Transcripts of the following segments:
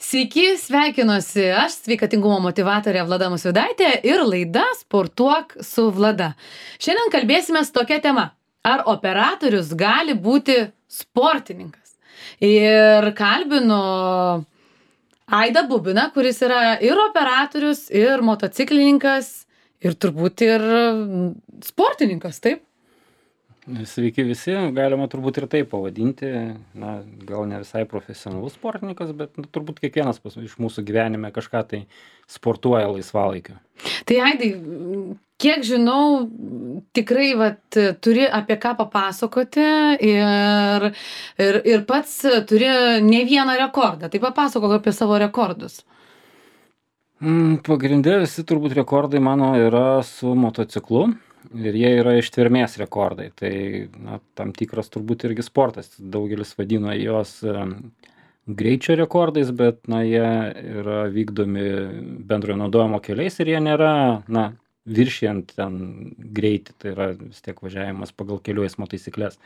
Sveiki, sveikinuosi aš, sveikatingumo motyvatorė Vlada Musvydaitė ir laida Sportuok su Vlada. Šiandien kalbėsime tokia tema. Ar operatorius gali būti sportininkas? Ir kalbinu Aidą Bubiną, kuris yra ir operatorius, ir motociklininkas, ir turbūt ir sportininkas, taip? Sveiki visi, galima turbūt ir taip pavadinti, gal ne visai profesionalus sportininkas, bet turbūt kiekvienas iš mūsų gyvenime kažką tai sportuoja laisvalaikiu. Tai Aidai, kiek žinau, tikrai turi apie ką papasakoti ir pats turi ne vieną rekordą. Tai papasakok apie savo rekordus. Pagrindė visi turbūt rekordai mano yra su motociklu. Ir jie yra ištvermės rekordai. Tai tam tikras turbūt irgi sportas. Daugelis vadino juos greičio rekordais, bet jie yra vykdomi bendrojo naudojimo keliais ir jie nėra viršijant ten greitį. Tai yra vis tiek važiavimas pagal kelių eismo taisyklės.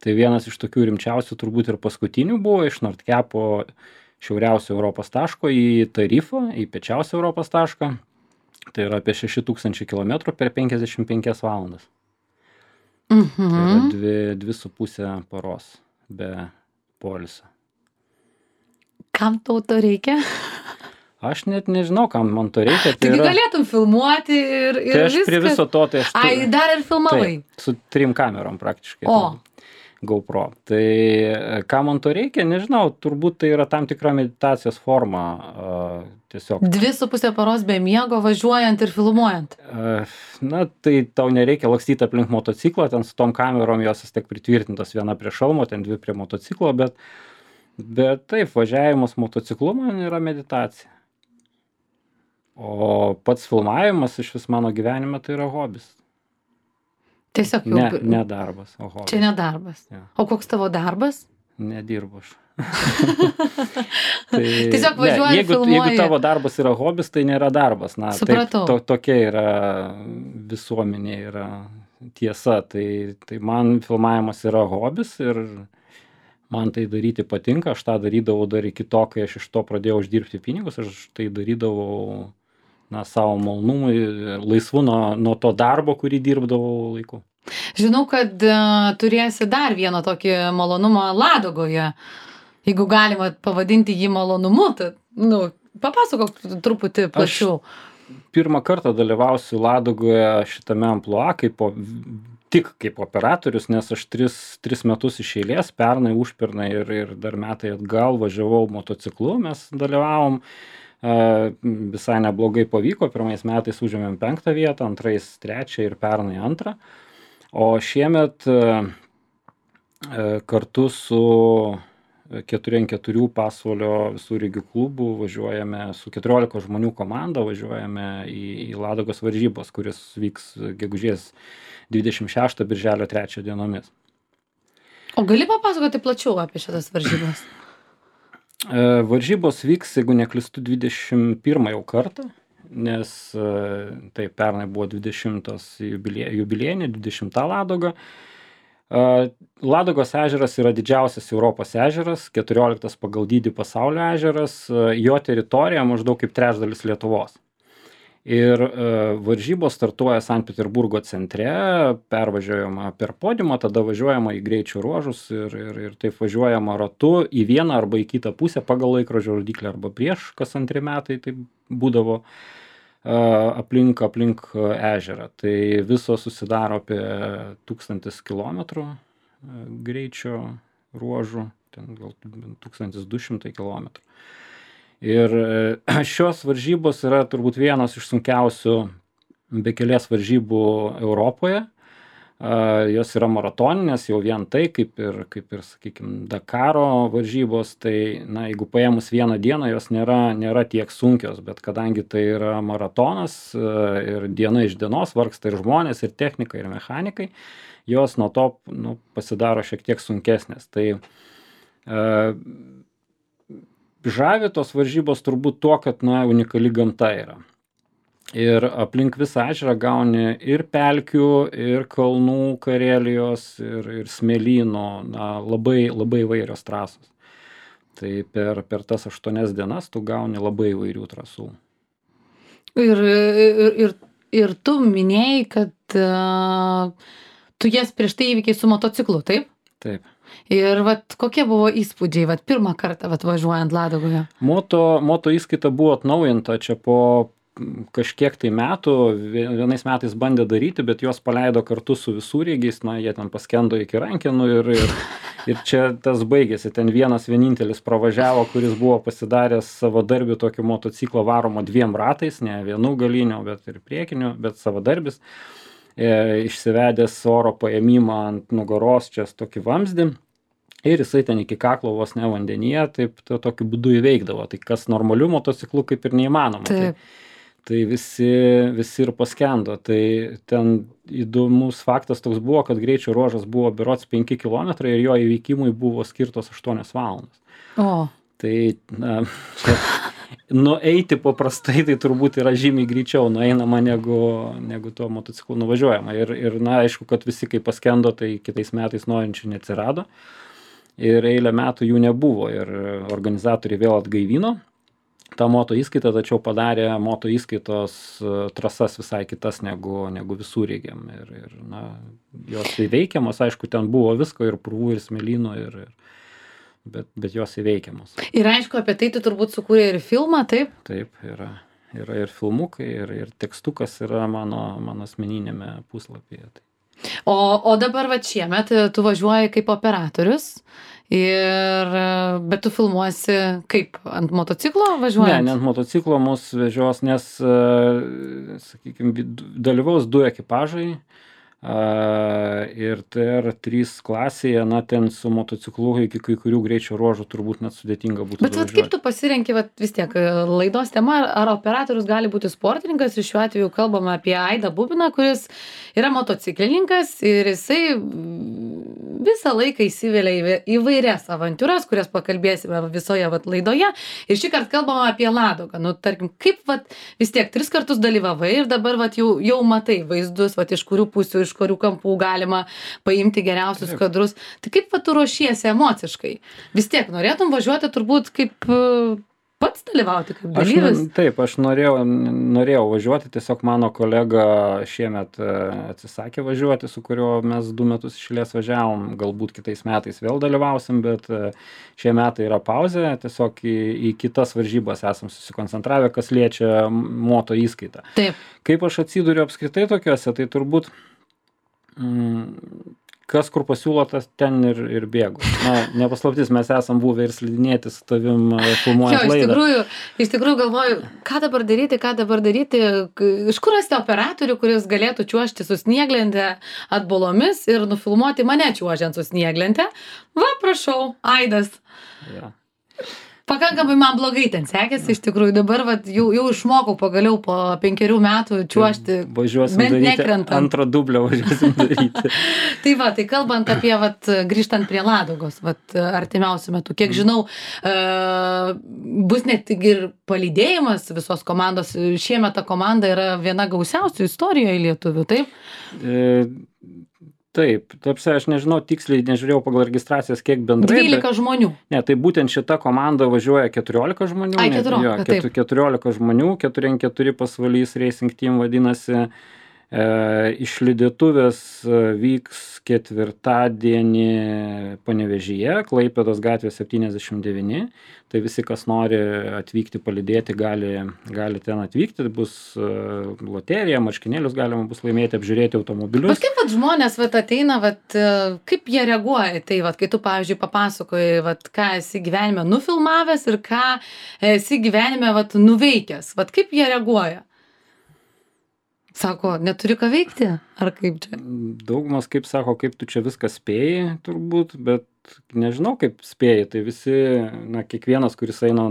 Tai vienas iš tokių rimčiausių turbūt ir paskutinių buvo iš Nordkepo šiauriausio Europos taško į Tarifą, į piečiausią Europos tašką. Tai yra apie 6000 km per 55 valandas. Tai yra 2,5 paros be poilsio. Kam tau to reikia? Aš net nežinau, kam man to reikia. Taigi galėtum filmuoti ir tai aš viskas. Prie viso to, tai aš... Ai, dar ir filmavai? Taip, su 3 kamerom praktiškai. O. GoPro. Tai ką man to reikia, nežinau, turbūt tai yra tam tikra meditacijos forma. Tiesiog. 2,5 paros be miego važiuojant ir filmuojant. Tai tau nereikia lakstyti aplink motociklą, ten su tom kamerom jos vis tiek pritvirtintos, viena prie šalmo, ten 2 prie motociklo, bet taip, važiavimas motociklu man yra meditacija. O pats filmavimas iš vis mano gyvenime tai yra hobis. Tiesiog jau... Ne darbas, o hobis. Čia ne darbas. Ja. O koks tavo darbas? Nedirbu aš. Tiesiog važiuoji ir filmuoji. Jeigu tavo darbas yra hobis, tai nėra darbas. Supratau. Taip, tokia yra visuomenė, yra tiesa. Tai man filmavimas yra hobis ir man tai daryti patinka. Aš tą darydavau dar iki to, kai aš iš to pradėjau uždirbti pinigus. Aš tai darydavau savo malonumui, laisvu nuo to darbo, kurį dirbdavau laiku. Žinau, kad turėsi dar vieną tokį malonumą Ladogoje. Jeigu galima pavadinti jį malonumu, tai papasakok truputį plačiau. Aš pirmą kartą dalyvausiu Ladogoje šitame amplua tik kaip operatorius, nes aš 3 metus iš eilės, pernai, užpernai ir dar metai atgal važiavau motociklu, mes dalyvavom. Visai neblogai pavyko, pirmais metais užėmėm 5 vietą, antrais 3 ir pernai 2. O šiemet kartu su 4x4 pasvalio visureigių klubu važiuojame su 14 žmonių komanda, važiuojame į Ladogos varžybos, kuris vyks gegužės 26 birželio 3 dienomis. O gali papasakoti plačiau apie šitas varžybas? Varžybos vyks, jeigu neklystu, 21 jau kartą, nes taip pernai buvo 20 jubiliejinė, 20 Ladoga. Ladogos ežeras yra didžiausias Europos ežeras, 14 pagal dydį pasaulio ežeras, jo teritorija maždaug kaip trečdalis Lietuvos. Ir varžybos startuoja Sankt Peterburgo centre, pervažiuojama per podiumą, tada važiuojama į greičio ruožus ir taip važiuojama ratu į vieną arba į kitą pusę pagal laikrodžio rodyklę arba prieš, kas 2 metai taip būdavo aplink ežerą. Tai viso susidaro apie 1000 kilometrų greičio ruožų, ten gal 1200 kilometrų. Ir šios varžybos yra turbūt vienos iš sunkiausių bekelės varžybų Europoje. Jos yra maratoninės, jau vien tai, kaip ir sakykime, Dakaro varžybos, tai jeigu paėmus vieną dieną, jos nėra tiek sunkios, bet kadangi tai yra maratonas ir diena iš dienos vargsta ir žmonės, ir technika, ir mechanikai, jos nuo to pasidaro šiek tiek sunkesnės. Tai žavi tos varžybos turbūt tuo, kad unikali gamta yra. Ir aplink visą ežerą gauni ir pelkių, ir kalnų Karelijos, ir smėlyno, labai įvairios trasos. Tai per tas 8 dienas tu gauni labai įvairių trasų. Ir tu minėjai, kad tu jas prieš tai įvykiai su motociklu, taip? Taip. Ir vat kokie buvo įspūdžiai, vat pirmą kartą vat važiuojant Ladogoje? Moto įskaita buvo atnaujinta čia po kažkiek tai metų, vienais metais bandė daryti, bet juos paleido kartu su visureigiais, jie ten paskendo iki rankenų ir čia tas baigėsi, ten vienintelis pravažiavo, kuris buvo pasidaręs savadarbį tokį motociklą varomo 2 ratais, ne vienu galiniu, bet ir priekiniu, bet savadarbis, išsivedęs oro paėmimą ant nugaros čia tokį vamzdį. Ir jisai ten iki kaklo vos ne vandenyje, taip tokiu būdu įveikdavo. Tai kas normaliu motociklu kaip ir neįmanoma. Tai visi ir paskendo. Tai ten įdomus faktas toks buvo, kad greičio ruožas buvo berods 5 km ir jo įveikimui buvo skirtos 8 valandas. O. Tai nueiti paprastai tai turbūt yra žymiai greičiau nueinama negu tuo motociklu nuvažiuojama. Ir aišku, kad visi kai paskendo, tai kitais metais norinčių neatsirado. Ir eilę metų jų nebuvo ir organizatoriai vėl atgaivino tą moto įskaitą, tačiau padarė moto įskaitos trasas visai kitas negu visureigiam. Ir jos įveikiamos, aišku, ten buvo visko ir purvų, ir smėlynų, bet jos įveikiamos. Ir aišku, apie tai tu turbūt sukūrė ir filmą, taip? Taip, yra ir filmukai, ir tekstukas yra mano asmeninėme puslapyje. O dabar vat šiemet tu važiuoji kaip operatorius, bet tu filmuosi kaip, ant motociklo važiuojant? Ne ant motociklo mus vežios, nes, sakykime, dalyvaus 2 ekipažai ir TR3 klasėje, ten su motociklu iki kai kurių greičio ruožų turbūt net sudėtinga būtų važiuoti. Bet kaip tu pasirenki, vis tiek, laidos tema, ar operatorius gali būti sportininkas, ir šiuo atveju kalbame apie Aidą Bubiną, kuris yra motociklininkas ir jisai visą laiką įsivelia į įvairias avantiūras, kurias pakalbėsime visoje laidoje. Ir šį kartą kalbame apie Ladogą. Tarkim, kaip vis tiek 3 kartus dalyvavai ir dabar jau matai vaizdus, iš kurių pusių, iš kurių kampų galima paimti geriausius kadrus. Tai kaip tu ruošiesi emociškai? Vis tiek norėtum važiuoti turbūt kaip pats dalyvauti kaip dalyvis? Taip, aš norėjau važiuoti, tiesiog mano kolega šiemet atsisakė važiuoti, su kuriuo mes 2 metus iš eilės važiavom, galbūt kitais metais vėl dalyvausim, bet šie metai yra pauzė, tiesiog į kitas varžybas esam susikoncentravę, kas liečia moto įskaitą. Taip. Kaip aš atsiduriu apskritai tokiuose, tai turbūt kas kur pasiūlo, tas ten ir bėgu. Nepaslaptis, mes esam buvę ir slidinėti su tavim filmuojant laidą. Iš tikrųjų galvoju, ką dabar daryti, iš kur rasti operatorių, kuris galėtų čiuožti su snieglente atbolomis ir nufilmuoti mane čiuožiant su snieglente. Va, prašau, Aidas. Ja. Pakankamai man blogai ten sekėsi, iš tikrųjų. Dabar jau išmokau pagaliau po 5 metų čiuožti. Važiuosim daryti, antrą dublę važiuosim daryti. Tai kalbant apie, grįžtant prie Ladogos, artimiausiu metu, kiek žinau, bus net tik ir palydėjimas visos komandos. Šiemet ta komanda yra viena gausiausių istorijoje lietuvių, taip? Taip, aš nežinau, tiksliai nežiūrėjau pagal registracijas, kiek bendrai. 12 žmonių. Ne, tai būtent šita komanda važiuoja 14 žmonių. 14 žmonių, 4x4 pasvalys Racing Team vadinasi. Išlydėtuvės vyks 4-dienį Panevėžyje, Klaipėdos gatvė 79. Tai visi, kas nori atvykti palydėti, gali ten atvykti. Bus loterija, marškinėlius galima bus laimėti, apžiūrėti automobilius. Bet kaip žmonės ateina, kaip jie reaguoja? Tai kai tu, pavyzdžiui, papasakoji, ką esi gyvenime nufilmavęs ir ką esi gyvenime nuveikęs. Kaip jie reaguoja? Sako, neturi ką veikti? Ar kaip čia? Daugumas kaip sako, kaip tu čia viską spėjai, turbūt, bet nežinau, kaip spėjai. Tai visi, kiekvienas, kuris eina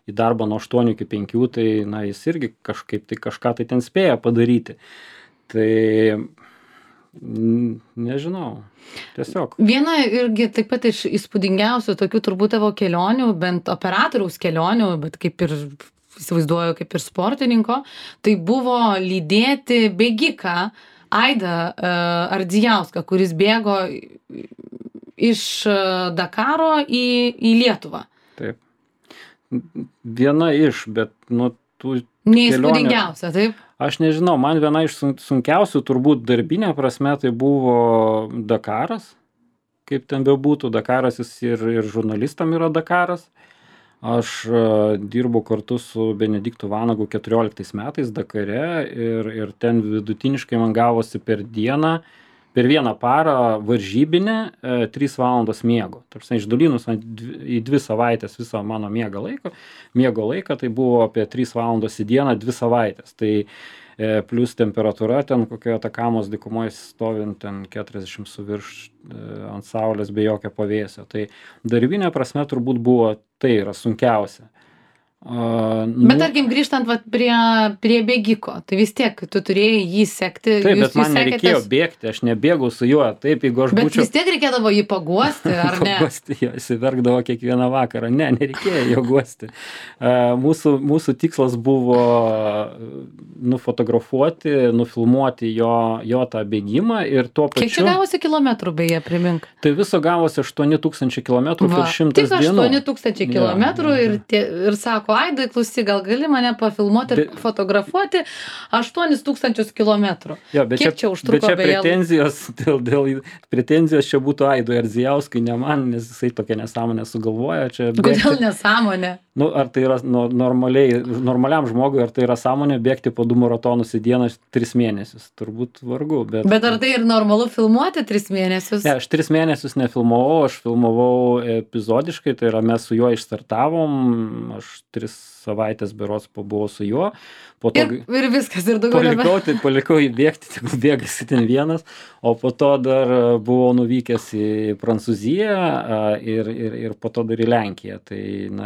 į darbą nuo 8 iki 5, tai jis irgi kažką tai ten spėja padaryti. Tai nežinau, tiesiog. Viena irgi taip pat iš įspūdingiausių tokių turbūt tavo kelionių, bent operatoriaus kelionių, bet kaip ir įsivaizduoju, kaip ir sportininko, tai buvo lydėti bėgiką Aidą Ardzijauską, kuris bėgo iš Dakaro į Lietuvą. taip. Viena iš, bet, nu, tų Neįspūdingiausia, taip? Aš nežinau, man viena iš sunkiausių turbūt darbinė prasme tai buvo Dakaras, kaip ten bebūtų, Dakaras jis ir žurnalistam yra Dakaras. Aš dirbu kartu su Benediktu Vanagu 14 metais Dakare ir ten vidutiniškai man gavosi per vieną parą varžybinę 3 valandos miego. Tarsi išdalinus į 2 savaitės visą mano miego laiką, tai buvo apie 3 valandos į dieną 2 savaitės. Tai plus temperatūra ten kokio Atakamos dykumoje stovint ten 40 su virš ant saulės be jokio pavėsio. Tai darbinė prasme turbūt buvo tai yra sunkiausia. Bet tarkim, grįžtant vat, prie bėgiko, tai vis tiek tu turėjai jį sekti. Taip, bet man nereikėjo bėgti, aš nebėgau su juo, taip, jeigu aš būčiau... Bet vis tiek reikėdavo jį paguosti, ar ne? Paguosti, jo, jis verkdavo kiekvieną vakarą. Ne, nereikėjo jo guosti. Mūsų tikslas buvo nufotografuoti, nufilmuoti jo tą bėgimą ir tuo pačiu... Kiek čia gavosi kilometrų, beje, primink? Tai viso gavosi 8000 kilometrų per 100 dienų. Tik 8000 kilometrų ir sako, Aidai, klausyk, gal gali mane pafilmuoti ir fotografuoti 8000 kilometrų. Kiek čia užtruko beje? Pretenzijos čia būtų Aidui Ardzijauskui, ne man, nes jisai tokia nesąmonė sugalvoja. Kodėl nesąmonė? Nu, ar tai yra normaliam žmogui, ar tai yra sąmonė bėgti po 2 maratonus į dieną 3 mėnesius? Turbūt vargu. Bet ar tai ir normalu filmuoti 3 mėnesius? Ne, aš 3 mėnesius nefilmavau, aš filmavau epizodiškai, tai yra mes su juo išstartavom, aš 3 savaitės berods pabuvau su juo. Po to, ir viskas, ir daugiau palikau jį bėgti, tik bėgasi ten vienas, o po to dar buvau nuvykęs į Prancūziją ir po to dar į Lenkiją. Tai,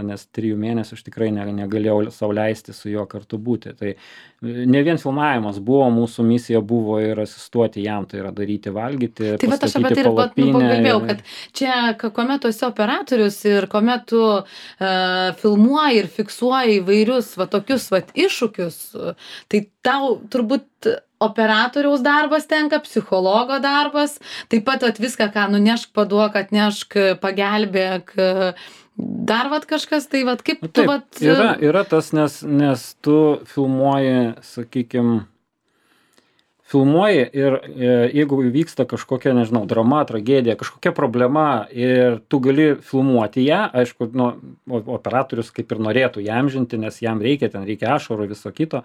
nes 3 mėnesių aš tikrai negalėjau sau leisti su juo kartu būti. Tai ne vien filmavimas buvo, mūsų misija buvo ir asistuoti jam, tai yra daryti valgyti, tai pastatyti palapinę. Taip, aš apie tai ir pakalbėjau, kad čia, kuomet tu esi operatorius ir kuomet tu filmuoji ir fiksuoji įvairius tokius iššūkius, tai tau turbūt operatoriaus darbas tenka, psichologo darbas, taip pat viską, ką nunešk, paduok, atnešk, pagelbėk, dar kažkas, tai kaip tu Yra tas, nes tu filmuoji, sakykime, ir jeigu vyksta kažkokia, nežinau, drama, tragedija, kažkokia problema ir tu gali filmuoti ją, aišku, operatorius kaip ir norėtų įamžinti, nes jam reikia ašarų viso kito,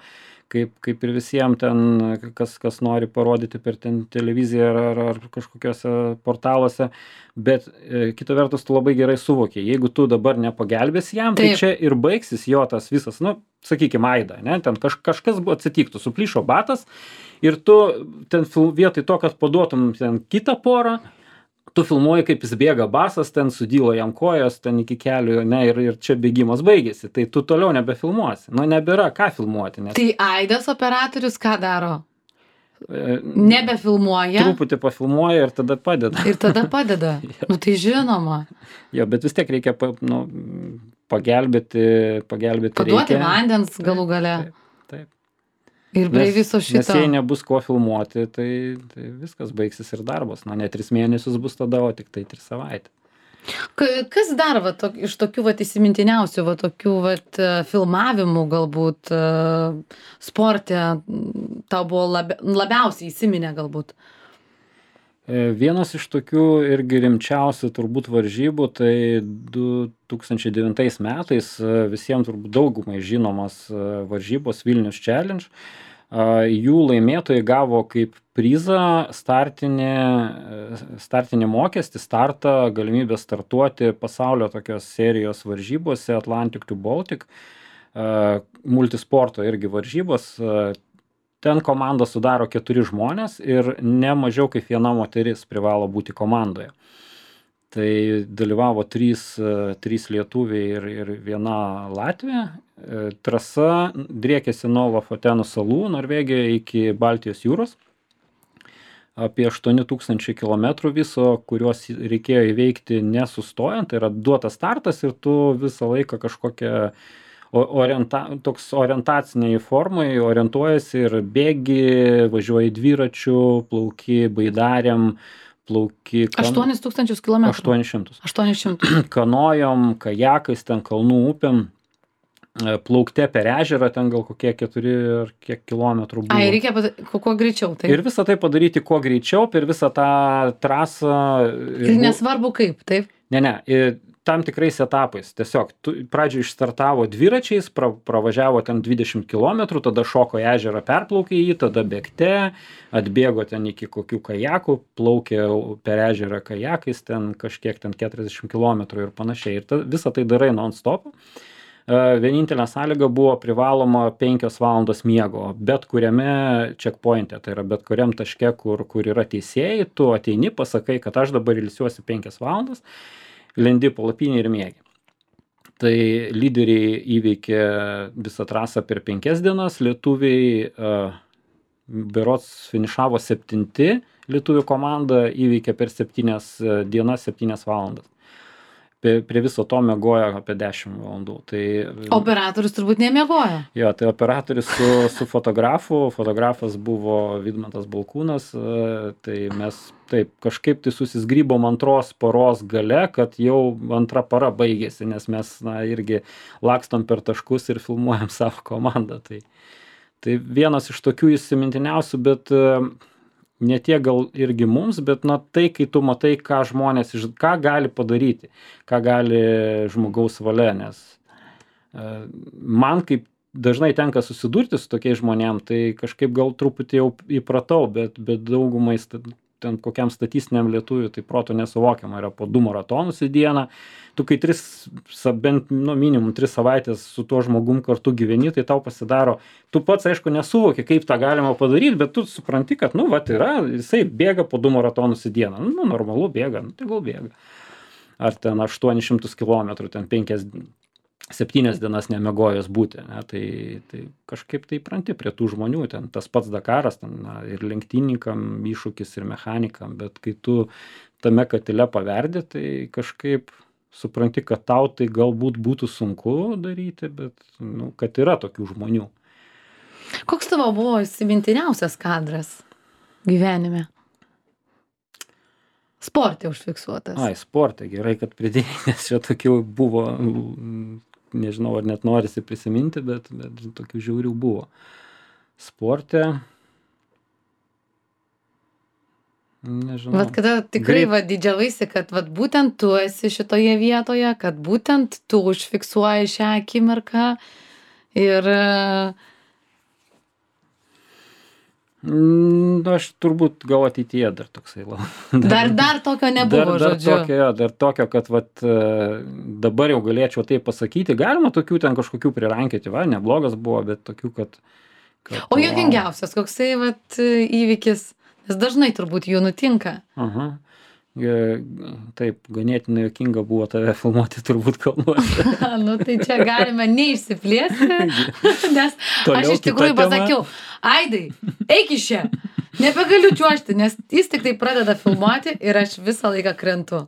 kaip ir visiems ten, kas nori parodyti per televiziją ar kažkokiuose portaluose, bet kita vertus tu labai gerai suvoki, jeigu tu dabar nepagelbėsi jam, tai čia ir baigsis jo tas visas, sakykime, Aida, ne, ten kažkas buvo atsitiktų, suplyšo batas ir tu ten vietoj to, kad paduotum ten kitą porą, tu filmuoji, kaip jis bėga basas, ten sudylo jam kojos, ten iki kelių, ne, ir čia bėgimas baigėsi, tai tu toliau nebefilmuosi, nebėra ką filmuoti. Nes... Tai Aidas operatorius ką daro? Nebefilmuoja? Truputį pafilmuoja ir tada padeda. Ir tada padeda? Tai žinoma. Jo, bet vis tiek reikia pagelbėti paduoti vandens galų gale. Taip. Ir prie viso šito. Nes jei nebus ko filmuoti, tai viskas baigsis ir darbas. Ne 3 mėnesius bus tada, o tik tai 3 savaitės. Kas dar iš tokių įsimintiniausių tokių filmavimų galbūt sporte tau buvo labiausiai įsiminę galbūt? Vienas iš tokių irgi rimčiausių turbūt varžybų, tai 2009 metais visiems turbūt daugumai žinomas varžybos Vilnius Challenge. Jų laimėtojai gavo kaip prizą startinį mokestį, galimybę startuoti pasaulio tokios serijos varžybose Atlantic to Baltic, multisporto irgi varžybos. Ten komandą sudaro 4 žmonės ir ne mažiau kaip 1 moteris privalo būti komandoje. Tai dalyvavo 3 lietuviai ir 1 Latvija. Trasa driekėsi nuo Lofotenų salų, Norvegijoje, iki Baltijos jūros. Apie 8000 kilometrų viso, kuriuos reikėjo įveikti nesustojant. Tai yra duotas startas ir tu visą laiką kažkokią toks orientaciniai formai orientuojasi ir bėgi, važiuoji dviračiu, plauki baidarėm, plauki 8000 kilometrų. 800. 800. Kanojom, kajakais, ten kalnų upėm, plaukte per ežerą, ten gal kokie 4 ar kiek kilometrų buvo. Ai, reikia kuo greičiau. Taip. Ir visą tai padaryti kuo greičiau per visą tą trasą. Ir nesvarbu kaip, taip? Ne, tam tikrais etapais. Tiesiog pradžioje išstartavo dviračiais, pravažiavo ten 20 km, tada šoko į ežerą, perplaukė jį, tada bėgte, atbėgo ten iki kokių kajakų, plaukė per ežerą kajakais, ten kažkiek ten 40 km ir panašiai. Ir visą tai darai non-stop. Vienintelė sąlyga buvo privaloma 5 valandos miego, bet kuriame checkpointe, tai yra bet kuriam taške, kur yra teisėjai, tu ateini, pasakai, kad aš dabar ilsiuosi 5 valandas, lendi palapinį ir miegi. Tai lyderiai įveikė visą trasą per 5 dienas, lietuviai berods finišavo 7, lietuvių komanda įveikė per 7 dienas 7 valandas. Prie viso to miegojo apie 10 valandų. Tai, operatorius turbūt nemiegojo. Jo, tai operatorius su fotografu, fotografas buvo Vidmantas Balkūnas, tai mes taip kažkaip tai susizgrybom antros paros gale, kad jau antra para baigėsi, nes mes irgi lakstom per taškus ir filmuojam savo komandą. Tai vienas iš tokių įsimintiniausių, bet ne tiek gal irgi mums, bet tai, kai tu matai, ką žmonės, ką gali padaryti, ką gali žmogaus valia, nes man kaip dažnai tenka susidurti su tokiais žmonėm, tai kažkaip gal truputį jau įpratau, bet daugumai ten kokiam statistiniam lietuviui tai proto nesuvokiama, yra po 2 maratonus į dieną, tu kai bent minimum 3 savaitės su tuo žmogum kartu gyveni, tai tau pasidaro, tu pats aišku nesuvoki, kaip tą galima padaryti, bet tu supranti, kad yra, jisai bėga po 2 maratonus į dieną, normalu bėga, tai gal bėga. Ar ten 800 km, ten 7 dienas nemiegojęs būti, ne? Tai kažkaip tai pranti prie tų žmonių, ten tas pats Dakaras, ten, ir lenktynininkam iššūkis, ir mechanikam, bet kai tu tame katile paverdi, tai kažkaip supranti, kad tau tai galbūt būtų sunku daryti, bet kad yra tokių žmonių. Koks tavo buvo įsimintiniausias kadras gyvenime? Sporte užfiksuotas. Sporte, gerai, kad pridėjai, nes čia tokių buvo, nežinau, ar net norisi prisiminti, bet tokių žiaurių buvo. Sporte, nežinau. Vat kada tikrai didžiavaisi, kad būtent tu esi šitoje vietoje, kad būtent tu užfiksuoji šią akimirką ir... Aš turbūt gal ateityje dar toksai. Dar tokio nebuvo, žodžiu. Dar tokio, kad dabar jau galėčiau tai pasakyti. Galima tokių ten kažkokių prirankėti, neblogas buvo, bet tokių, kad... O juokingiausias, koksai įvykis, nes dažnai turbūt jų nutinka. Aha. Taip, ganėtinai juokinga buvo tave filmuoti turbūt kalnuose. Tai čia galime neišsiplėsti, nes aš iš tikrųjų pasakiau, Aidai, eik iš čia, nebegaliu čiuožti, nes jis tik tai pradeda filmuoti ir aš visą laiką krentu.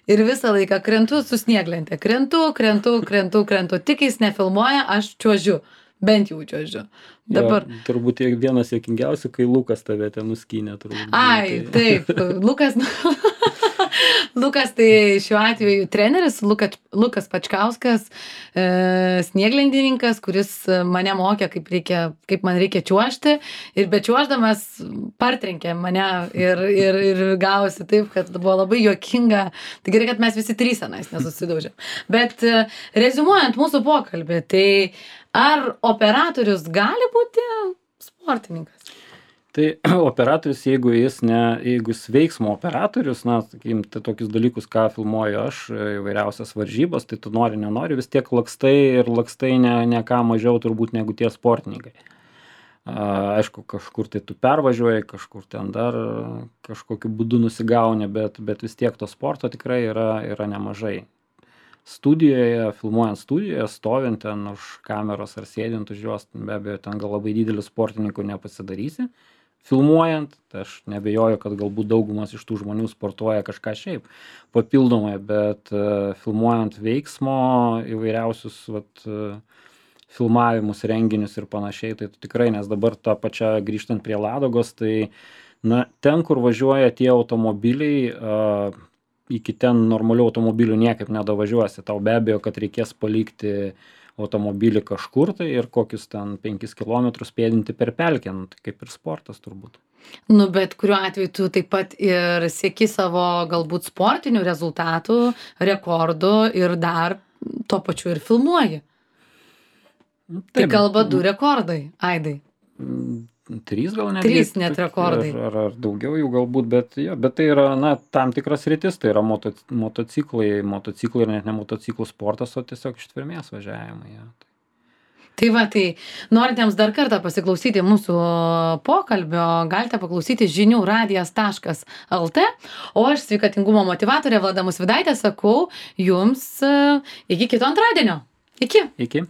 Ir visą laiką krentu su snieglente. Krentu, tik jis nefilmuoja, aš čiuožiu. Bent jau čiuožiu. Dabar. Jo, turbūt vienas juokingiausių, kai Lukas tave ten nuskynė. Taip, Lukas tai šiuo atveju treneris, Lukas Pačkauskas, snieglentininkas, kuris mane mokė, kaip man reikia čiuožti, ir bečiuoždamas partrenkė mane ir gavosi taip, kad buvo labai juokinga. Tai gerai, kad mes visi 3 senais nesusidaužėm. Bet reziumuojant mūsų pokalbį, tai ar operatorius gali būti sportininkas? Tai operatorius, jeigu jis veiksmo operatorius, sakykim, tai tokius dalykus, ką filmuoju aš, įvairiausias varžybas, tai tu nenori, vis tiek lakstai ne ką mažiau turbūt negu tie sportininkai. Aišku, kažkur tai tu pervažiuoji, kažkur ten dar kažkokiu būdu nusigauni, bet vis tiek to sporto tikrai yra nemažai. Studijoje, filmuojant studijoje, stovint ten už kameros ar sėdint už juos, be abejo, ten gal labai didelių sportininkų nepasidarysi. Filmuojant, tai aš nebejoju, kad galbūt daugumas iš tų žmonių sportuoja kažką šiaip papildomai, bet filmuojant veiksmo įvairiausius filmavimus, renginius ir panašiai, tai tikrai, nes dabar tą pačią grįžtant prie Ladogos, tai Na, ten, kur važiuoja tie automobiliai, iki ten normalių automobilių niekaip nedavažiuosi. Tau be abejo, kad reikės palikti automobilį kažkur tai ir kokius ten 5 kilometrus pėdinti per pelkę, nu, tai kaip ir sportas turbūt. Nu, bet kuriuo atveju tu taip pat ir sieki savo galbūt sportinių rezultatų, rekordų ir dar tuo pačiu ir filmuoji. Tai kalba 2 rekordai, Aidai. 3 gal net. 3 net rekordai. Ar daugiau jų galbūt, bet tai yra, na, tam tikras rytis, tai yra motociklai ir net ne motociklų sportas, o tiesiog ištvermės važiavimai. Ja. Tai va, tai norintiems dar kartą pasiklausyti mūsų pokalbio, galite paklausyti žinių radijas.lt, o aš sveikatingumo motyvatorė Vlada Musvydaitė sakau jums iki kito antradienio. Iki. Iki.